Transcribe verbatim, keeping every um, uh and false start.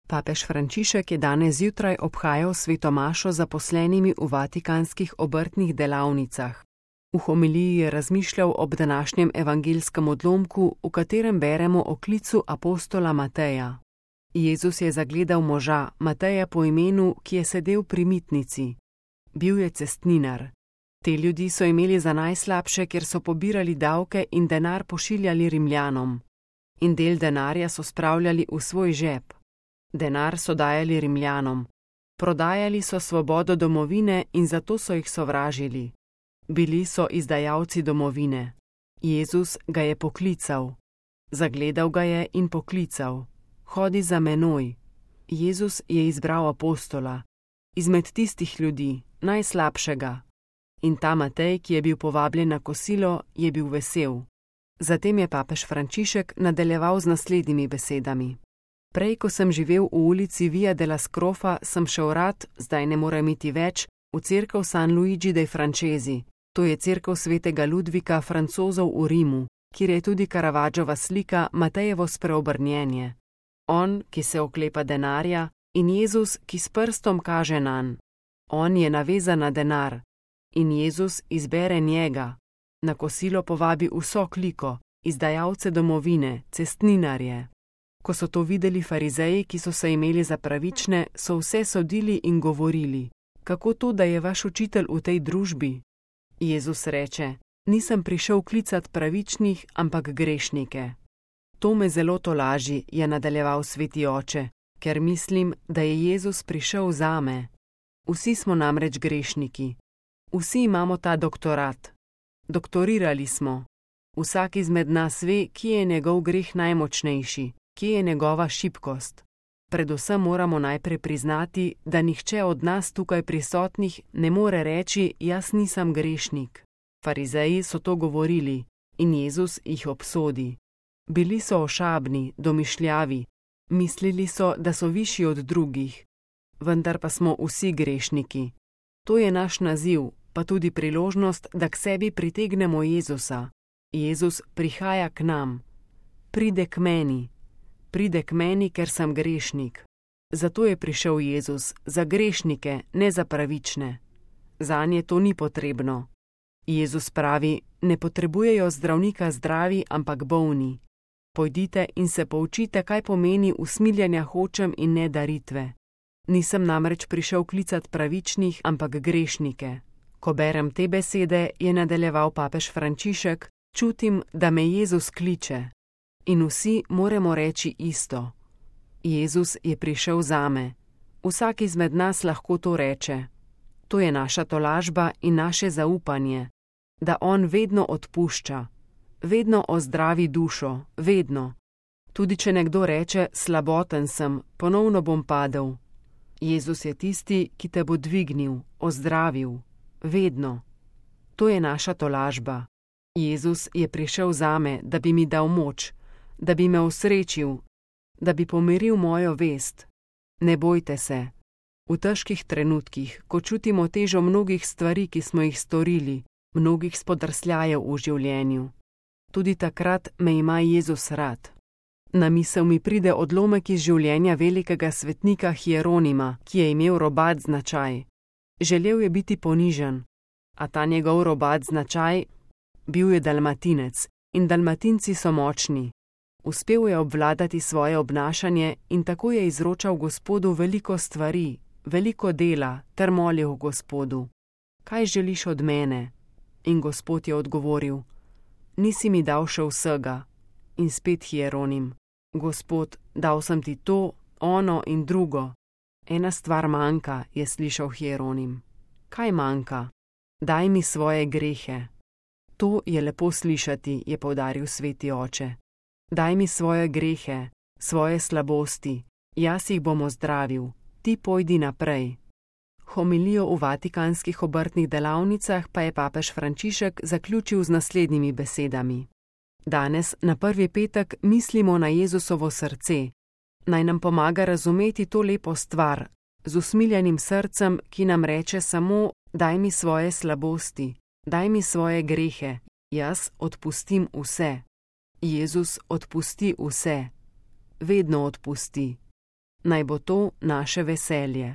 Papež Frančišek je danes zjutraj obhajal sveto mašo zaposlenimi v vatikanskih obrtnih delavnicah. V homiliji je razmišljal ob današnjem evangelskem odlomku, v katerem beremo o klicu apostola Mateja. Jezus je zagledal moža, Mateja po imenu, ki je sedel pri mitnici. Bil je cestninar. Te ljudi so imeli za najslabše, ker so pobirali davke in denar pošiljali Rimljanom. In del denarja so spravljali v svoj žep. Denar so dajali Rimljanom. Prodajali so svobodo domovine in zato so jih sovražili. Bili so izdajalci domovine. Jezus ga je poklical. Zagledal ga je in poklical. Hodi za menoj. Jezus je izbral apostola. Izmed tistih ljudi, najslabšega. In ta Matej, ki je bil povabljen na kosilo, je bil vesel. Zatem je papež Frančišek nadaljeval z naslednjimi besedami. Prej, ko sem živel v ulici Via della Scrofa, sem šel rad, zdaj ne morem iti več, v cerkev San Luigi dei Francesi. To je cerkev svetega Ludvika Francozov v Rimu, kjer je tudi Caravaggiova slika Matejevo spreobrnjenje. On, ki se oklepa denarja, in Jezus, ki s prstom kaže nanj. On je navezan na denar. In Jezus izbere njega. Na kosilo povabi vso kliko, izdajalce domovine, cestninarje. Ko so to videli farizeji, ki so se imeli za pravične, so vse sodili in govorili: kako to, da je vaš učitelj v tej družbi? Jezus reče: nisem prišel klicat pravičnih, ampak grešnike. To me zelo tolaži, je nadaljeval sveti oče, ker mislim, da je Jezus prišel zame. Vsi smo namreč grešniki. Vsi imamo ta doktorat. Doktorirali smo. Vsak izmed nas ve, kje je njegov greh najmočnejši, kje je njegova šibkost. Predvsem moramo najprej priznati, da nihče od nas tukaj prisotnih ne more reči: jaz nisem grešnik. Farizeji so to govorili in Jezus jih obsodi. Bili so ošabni, domišljavi, mislili so, da so višji od drugih. Vendar pa smo vsi grešniki. To je naš naziv, pa tudi priložnost, da k sebi pritegnemo Jezusa. Jezus prihaja k nam. Pride k meni. Pride k meni, ker sem grešnik. Zato je prišel Jezus, za grešnike, ne za pravične. Zanje to ni potrebno. Jezus pravi: ne potrebujejo zdravnika zdravi, ampak bolni. Pojdite in se poučite, kaj pomeni usmiljenja hočem in ne daritve. Nisem namreč prišel klicat pravičnih, ampak grešnike. Ko berem te besede, je nadaljeval papež Frančišek, čutim, da me Jezus kliče. In vsi moramo reči isto. Jezus je prišel zame. Vsak izmed nas lahko to reče. To je naša tolažba in naše zaupanje, da on vedno odpušča, vedno ozdravi dušo, vedno. Tudi če nekdo reče: slaboten sem, ponovno bom padel. Jezus je tisti, ki te bo dvignil, ozdravil, vedno. To je naša tolažba. Jezus je prišel zame, da bi mi dal moč, da bi me osrečil, da bi pomiril mojo vest. Ne bojte se. V težkih trenutkih, ko čutimo težo mnogih stvari, ki smo jih storili, mnogih spodrsljajev v življenju, tudi takrat me ima Jezus rad. Na misel mi pride odlomek iz življenja velikega svetnika Hieronima, ki je imel robat značaj. Želel je biti ponižen, a ta njegov robat značaj, bil je dalmatinec, in dalmatinci so močni. Uspel je obvladati svoje obnašanje in tako je izročal Gospodu veliko stvari, veliko dela, ter molil Gospodu: kaj želiš od mene? In Gospod je odgovoril: nisi mi dal še vsega. In spet Hieronim: Gospod, dal sem ti to, ono in drugo. Ena stvar manjka, je slišal Hieronim. Kaj manjka? Daj mi svoje grehe. To je lepo slišati, je poudaril sveti oče. Daj mi svoje grehe, svoje slabosti, jaz jih bom ozdravil, ti pojdi naprej. Homilijo v vatikanskih obrtnih delavnicah pa je papež Frančišek zaključil z naslednjimi besedami. Danes, na prvi petek, mislimo na Jezusovo srce. Naj nam pomaga razumeti to lepo stvar, z usmiljenim srcem, ki nam reče samo: daj mi svoje slabosti, daj mi svoje grehe, jaz odpustim vse. Jezus odpusti vse. Vedno odpusti. Naj bo to naše veselje.